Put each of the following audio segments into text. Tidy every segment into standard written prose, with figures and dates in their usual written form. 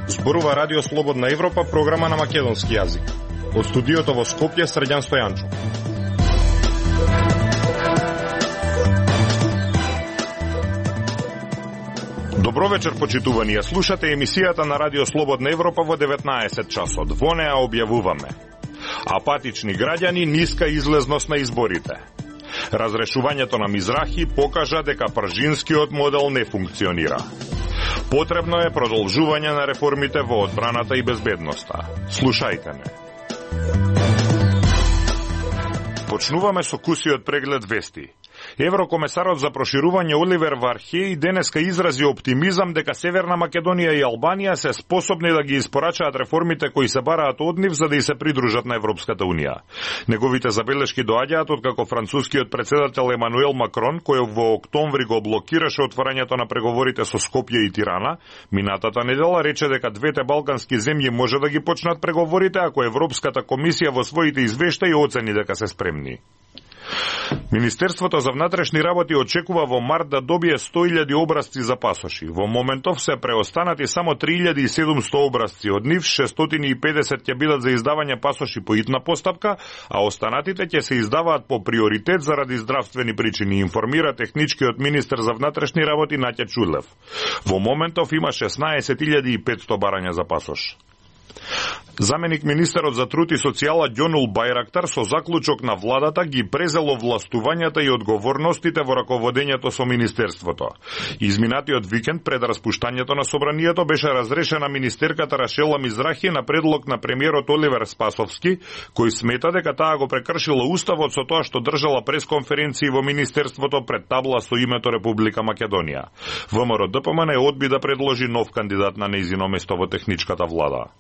Зборува Радио Слободна Европа, програма на македонски јазик. Од студиото во Скопје, Срđan Стојанчо. Добро вечер, почитувани. Слушате емисијата на Радио Слободна Европа во 19 часот. Во неа објавуваме: апатични граѓани, ниска излезност на изборите. Разрешувањето на Мизрахи покажа дека пржинскиот модел не функционира. Потребно е продолжување на реформите во одбраната и безбедноста. Слушајте ме. Почнуваме со кусиот преглед вести. Еврокомесарот за проширување Оливер Вархеј денеска изрази оптимизам дека Северна Македонија и Албанија се способни да ги испорачаат реформите кои се бараат од нив за да и се придружат на Европската Унија. Неговите забелешки доаѓаат откако францускиот председател Емануел Макрон, кој во октомври го блокираше отворањето на преговорите со Скопје и Тирана, минатата недела рече дека двете балкански земји може да ги почнат преговорите ако Европската комисија во своите извештаи оцени дека се спремни. Министерството за внатрешни работи очекува во март да добие 100.000 образци за пасоши. Во моментов се преостанати само 3.700 образци. Од нив 650 ќе бидат за издавање пасоши по итна постапка, а останатите ќе се издаваат по приоритет заради здравствени причини, информира техничкиот министер за внатрешни работи Наќа Чулев. Во моментов има 16.500 барања за пасош. Заменик министерот за труд и социјала Ѓонул Бајрактар со заклучок на владата ги презело властувањата и одговорностите во раководењето со министерството. Изминатиот викенд пред распуштањето на собранието беше разрешена министерката Рашела Мизрахи на предлог на премиерот Оливер Спасовски, кој смета дека таа го прекршила уставот со тоа што држала пресконференции во министерството пред табла со името Република Македонија. ВМРО ДПМН одби да предложи нов кандидат на нејзино место во техничката влада.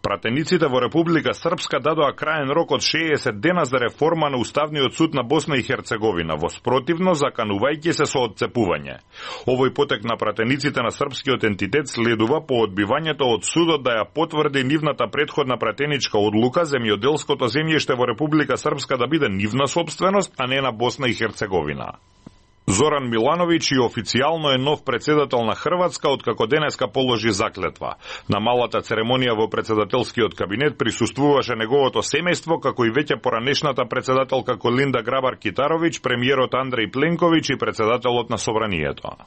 Пратениците во Република Српска дадоа краен рок од 60 дена за реформа на Уставниот суд на Босна и Херцеговина, во спротивно заканувајќи се со отцепување. Овој потек на пратениците на српскиот ентитет следува по одбивањето од судот да ја потврди нивната претходна пратеничка одлука земјоделското земјиште во Република Српска да биде нивна сопственост, а не на Босна и Херцеговина. Зоран Милановиќ и официјално е нов председател на Хрватска откако денеска положи заклетва. На малата церемонија во председателскиот кабинет присуствуваше неговото семејство, како и веќе поранешната председателка Колинда Грабар-Китаровиќ, премиерот Андреј Пленковиќ и председателот на собранието.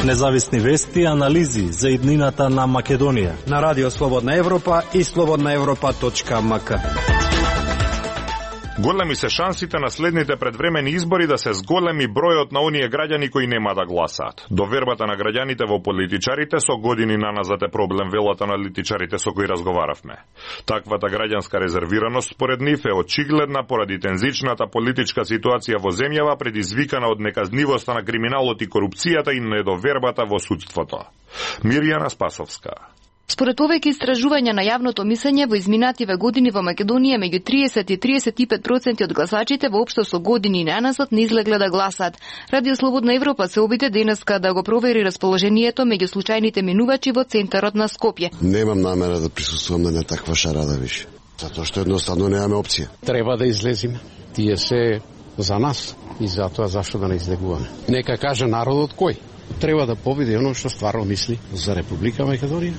Независни вести и анализи за иднината на Македонија на Радио Слободна Европа и slobodnaevropa.mk. Големи се шансите на следните предвремени избори да се зголеми бројот на оние граѓани кои нема да гласаат. Довербата на граѓаните во политичарите со години наназад е проблем, велат аналитичарите со кои разговаравме. Таквата граѓанска резервираност според нив е очигледна поради тензичната политичка ситуација во земјава, предизвикана од неказнивоста на криминалот и корупцијата и недовербата во судството. Мирјана Спасовска. Според повеќе истражувања на јавното мислење во изминативе години во Македонија меѓу 30 и 35% од гласачите воопшто со години наназад не излегле да гласаат. Радио Слободна Европа се обиде денеска да го провери расположението меѓу случајните минувачи во центарот на Скопје. Немам намера да присуствувам на таква шарада више, затоа што едноставно немаме опција. Треба да излезиме. Тие се за нас и затоа зашто да не излегуваме. Нека каже народот кој треба да победи оно што стварно мисли за Република Македонија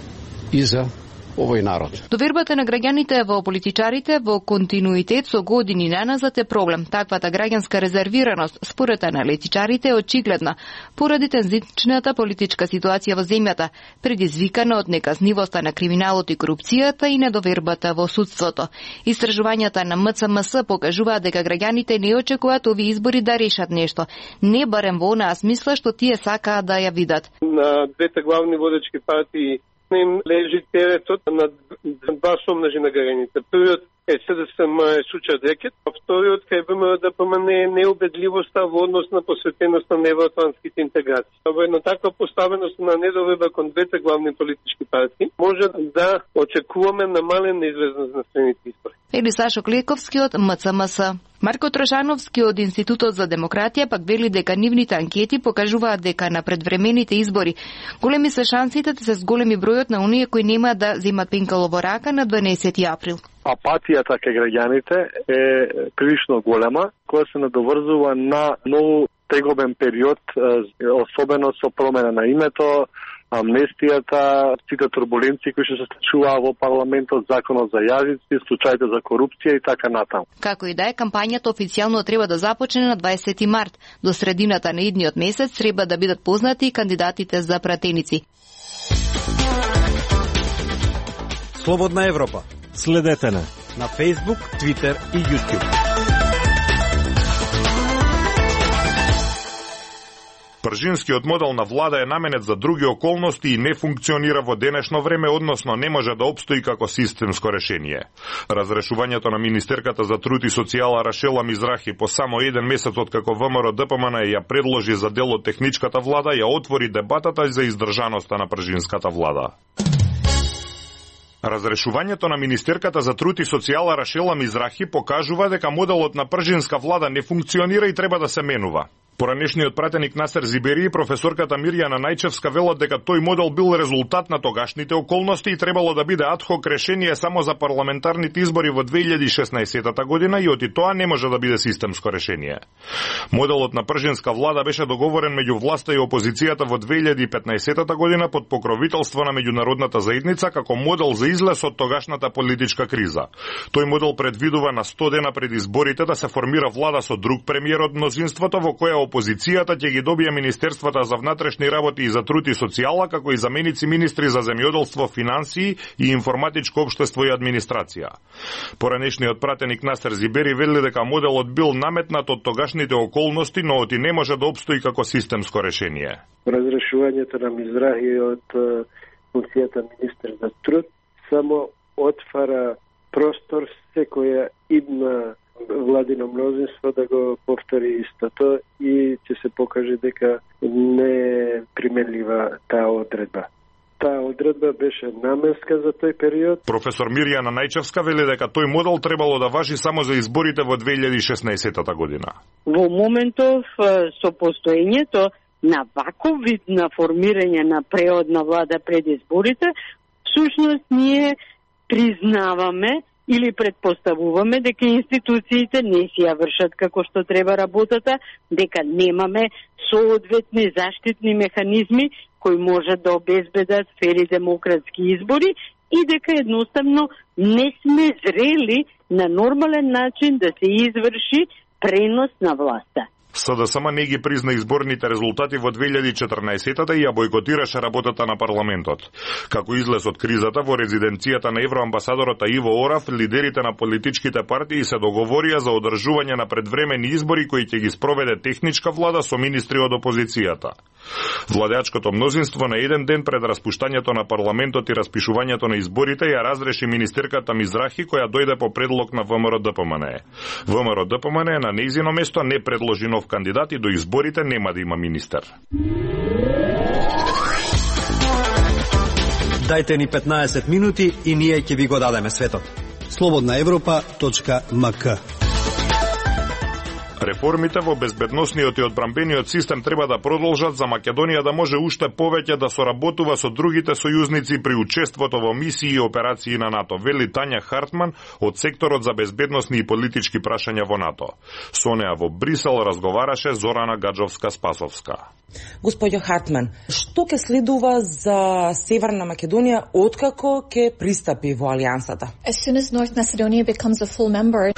и за овој народ. Довербата на граѓаните во политичарите во континуитет со години наназад е проблем. Таквата граѓанска резервираност според аналитичарите е очигледна поради тензичната политичка ситуација во земјата, предизвикана од неказнивоста на криминалот и корупцијата и недовербата во судството. Истражувањата на МЦМС покажуваат дека граѓаните не очекуваат овие избори да решат нешто, не барем во онаа смисла што тие сакаат да ја видат. На двете главни водечки партии им лежи теретот на два сомнажи на граѓаните. Првиот е СДСМ е сучат рекет, а вториот кај ВМРО ДПМН е неубедливоста во однос на посветеноста на евроатлантските интеграции. Во една таква поставеност на недоверба кон двете главни политички партии може да очекуваме намалена излезност на следните избори. Ели Сашо Клековски од МЦМС. Марко Трошановски од Институтот за демократија пак вели дека нивните анкети покажуваат дека на предвремените избори големи се шансите да се зголеми бројот на оние кои нема да земат пенкало во рака на 12 април. апатијата кај граѓаните е прилично голема, која се надоврзува на многу тегобен период, особено со промена на името, амнестијата, сите турбуленции кои се случуваа во парламентот, законот за јазици, случаите за корупција и така натаму. Како и да е, кампањата официјално треба да започне на 20 март. До средината на идниот месец треба да бидат познати кандидатите за пратеници. Слободна Европа. Следете на Facebook, Twitter и YouTube. Пржинскиот модел на влада е наменет за други околности и не функционира во денешно време, односно не може да опстои како системско решение. Разрешувањето на министерката за труд и социјала Рашела Мизрахи по само еден месец откако ВМРО-ДПМН ја предложи за дел од техничката влада, ја отвори дебатата за издржаноста на пржинската влада. Разрешувањето на министерката за труд и социјала Рашела Мизрахи покажува дека моделот на пржинска влада не функционира и треба да се менува. Поранешниот пратеник Насер Зибери и професорката Мирјана Најчевска велат дека тој модел бил резултат на тогашните околности и требало да биде адхок решение само за парламентарните избори во 2016 година и оти тоа не може да биде системско решение. Моделот на пржинска влада беше договорен меѓу власта и опозицијата во 2015 година под покровителство на меѓународната заедница како модел за излез од тогашната политичка криза. Тој модел предвидува на 100 дена пред изборите да се формира влада со друг премиер од мнозинството, во која опозицијата ќе ги добие Министерствата за внатрешни работи и за труд и социјала, како и заменици министри за земјоделство, финансии и информатичко општество и администрација. Поранешниот пратеник Насер Зибери вели дека моделот бил наметнат од тогашните околности, но оти не може да опстои како системско решение. Разрешувањето на Мизрахи од функцијата министер за труд само отвара простор секоја идна владино мнозинство да го повтори истото и ќе се покаже дека не е применлива таа одредба. Таа одредба беше наменска за тој период. Професор Мирјана Најчевска вели дека тој модел требало да важи само за изборите во 2016 година. Во моментов со постоењето на ваков вид на формирање на преодна влада пред изборите, всушност ние признаваме или предпоставуваме дека институциите не си ја вршат како што треба работата, дека немаме соодветни заштитни механизми кои можат да обезбедат фери демократски избори и дека едноставно не сме зрели на нормален начин да се изврши пренос на власта. СДСМ не ги призна изборните резултати во 2014-та и ја бойкотираше работата на парламентот. Како излез од кризата, во резиденцијата на евроамбасадорот Иво Орав, лидерите на политичките партии се договорија за одржување на предвремени избори кои ќе ги спроведе техничка влада со министри од опозицијата. Владеачкото мнозинство на еден ден пред распуштањето на парламентот и распишувањето на изборите ја разреши министерката Мизрахи, која дојде по предлог на ВМРО-ДПМН. ВМРО-ДПМН на нејзино место не предложи нов кандидат и до изборите нема да има министер. Дајте ни 15 минути и ние ќе ви го дадеме светот. slobodnaevropa.mk. Реформите во безбедносниот и одбранбениот систем треба да продолжат за Македонија да може уште повеќе да соработува со другите сојузници при учеството во мисии и операции на НАТО, вели Тања Хартман од секторот за безбедносни и политички прашања во НАТО. Со неа во Брисел разговараше Зорана Гаджовска-Спасовска. Господјо Хартман, што ќе следува за Северна Македонија откако ќе пристапи во алијансата?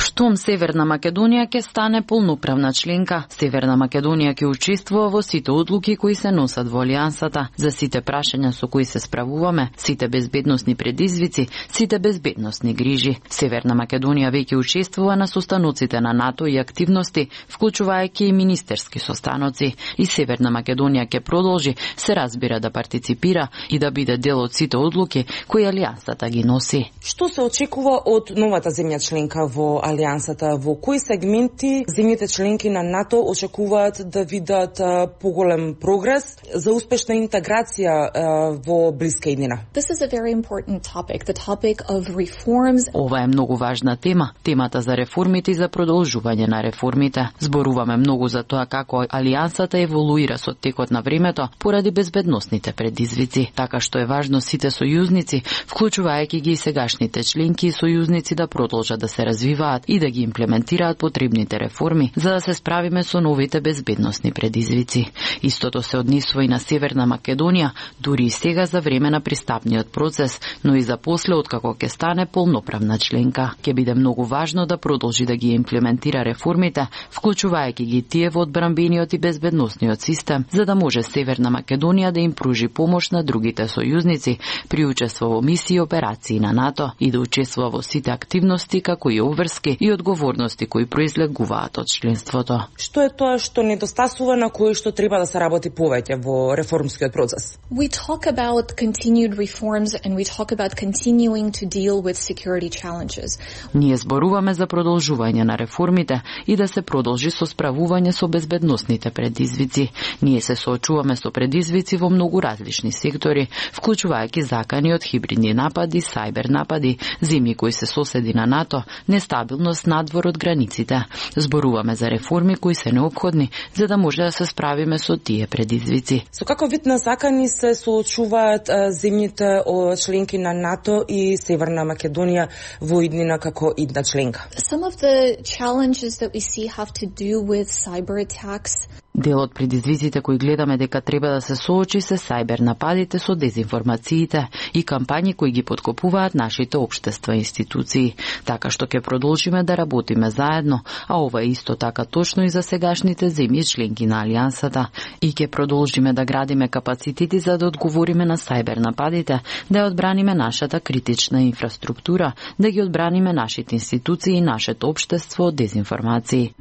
Штом Северна Македонија ќе стане полноправна членка, Северна Македонија ќе учествува во сите одлуки кои се носат во алијансата, за сите прашања со кои се справуваме, сите безбедносни предизвици, сите безбедносни грижи. Северна Македонија веќе учествува на состаноците на НАТО и активности, вклучувајќи и министерски состаноци, и Северна Македонија ќе продолжи, се разбира, да партиципира и да биде дел од сите одлуки кои алијансата ги носи. Што се очекува од новата земја членка во алијансата? Во кои сегменти земјите земјите членки на НАТО очекуваат да видат поголем прогрес за успешна интеграција во блиска иднина. This is a very important topic, the topic of reforms. Ова е многу важна тема, темата за реформите и за продолжување на реформите. Зборуваме многу за тоа како алијансата еволуира со текот на времето поради безбедносните предизвици, така што е важно сите сојузници, вклучувајќи ги и сегашните членки и сојузници, да продолжат да се развиваат и да ги имплементираат потребните реформи за да се справиме со новите безбедносни предизвици. Истото се однесува и на Северна Македонија, дури и сега за време на пристапниот процес, но и за после откако ќе стане полноправна членка. Ќе биде многу важно да продолжи да ги имплементира реформите, вклучувајќи ги тие во одбранбениот и безбедносниот систем, за да може Северна Македонија да им пружи помош на другите сојузници при учество во мисии и операции на НАТО и да учествува во сите активности како и обврски и одговорности кои произлегуваат од членството. Што е тоа што недостасува, на кое што треба да се работи повеќе во реформскиот процес? We talk about continued reforms and we talk about continuing to deal with security challenges. Ние зборуваме за продолжување на реформите и да се продолжи со справување со безбедносните предизвици. Ние се соочуваме со предизвици во многу различни сектори, вклучувајќи закани од хибридни напади, сајбер напади, земји кои се соседи на НАТО, нестабилност надвор од границите. Зборуваме за реформи кои се неопходни за да може да се справиме со тие предизвици. Со како вид на закани се соочуваат земјите членки на НАТО и Северна Македонија во иднина како идна членка? Some of the challenges that we see have to do with cyber attacks. Дел од предизвиците кои гледаме дека треба да се соочи се сајбер нападите со дезинформациите и кампањи кои ги поткопуваат нашите општества и институции. Така што ќе продолжиме да работиме заедно, а ова е исто така точно и за сегашните земји членки на Алијансата. И ќе продолжиме да градиме капацитети за да одговориме на сајбер нападите, да ја одбраниме нашата критична инфраструктура, да ги одбраниме нашите институции и нашето општество од дезинформации.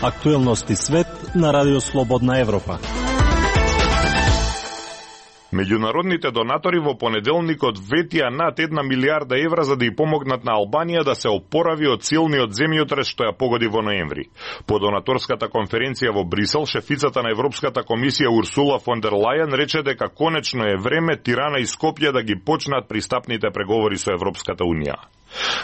Актуелности свет на Радио Слободна Европа. Меѓународните донатори во понеделникот ветија над 1 милиарда евра за да ја помогнат на Албанија да се опорави од силниот земјотрес што ја погоди во ноември. По донаторската конференција во Брисел, шефицата на Европската комисија Урсула фон дер Лајен рече дека конечно е време Тирана и Скопје да ги почнат пристапните преговори со Европската унија.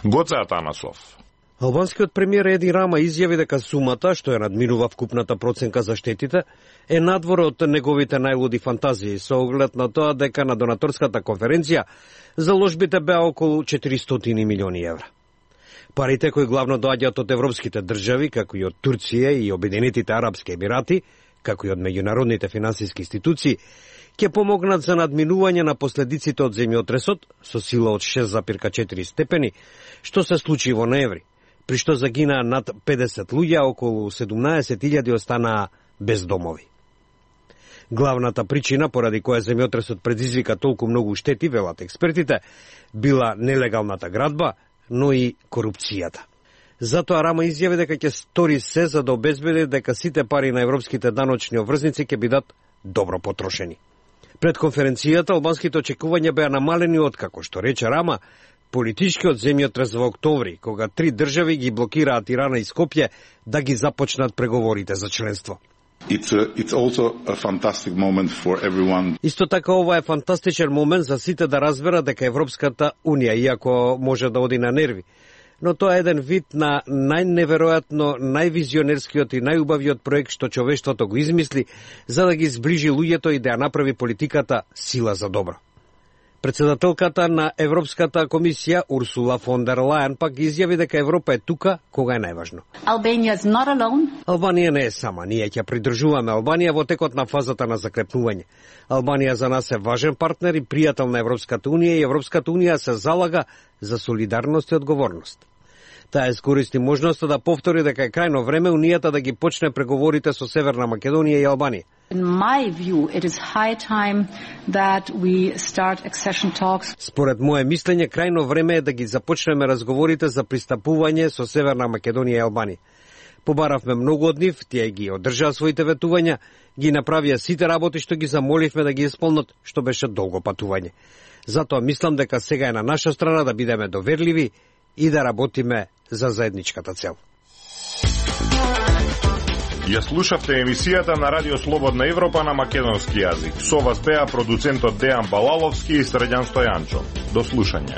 Гоце Атанасов. Албанскиот премиер Еди Рама изјави дека сумата, што ја надминува вкупната проценка за штетите, е надвор од неговите најлуди фантазии, со оглед на тоа дека на донаторската конференција заложбите беа околу 400 милиони евра. Парите кои главно доаѓаат од европските држави, како и од Турција и Обединетите арапски емирати, како и од меѓународните финансиски институции, ќе помогнат за надминување на последиците од земјотресот со сила од 6,4 степени, што се случи во ноември, при што загинаа над 50 луѓе, околу 17.000 останаа без домови. Главната причина поради која земјотресот предизвика толку многу штети, велат експертите, била нелегалната градба, но и корупцијата. Затоа Рама изјави дека ќе стори се за да обезбеди дека сите пари на европските даночни обврзници ќе бидат добро потрошени. Пред конференцијата албанските очекувања беа намалени откако, што рече Рама, политичкиот земјотрес во октомври, кога 3 држави ги блокираат Тирана и Скопје да ги започнат преговорите за членство. It's also a fantastic moment for everyone. Исто така ова е фантастичен момент за сите да разберат дека Европската унија, иако може да оди на нерви, но тоа е еден вид на најневеројатно, највизионерскиот и најубавиот проект што човештвото го измисли за да ги зближи луѓето и да ја направи политиката сила за добро. Председателката на Европската комисија Урсула фон дер Лајен пак изјави дека Европа е тука кога е најважно. Албанија не е сама, ние ќе придржуваме Албанија во текот на фазата на закрепнување. Албанија за нас е важен партнер и пријател на Европската унија и Европската унија се залага за солидарност и одговорност. Таа искористи можноста да повтори дека е крајно време унијата да ги почне преговорите со Северна Македонија и Албанија. In my view, it is high time that we start accession talks. Според мое мислење, крајно време е да ги започнеме разговорите за пристапување со Северна Македонија и Албанија. Побаравме многу од нив, тие ги одржаа своите ветувања, ги направија сите работи што ги замоливме да ги исполнат, што беше долго патување. Затоа мислам дека сега е на наша страна да бидеме доверливи и да работиме за заедничката цел. Ја слушавте емисијата на Радио Слободна Европа на македонски јазик. Со вас беа продуцентот Дејан Балаловски и Срđan Стојанчо. До слушање.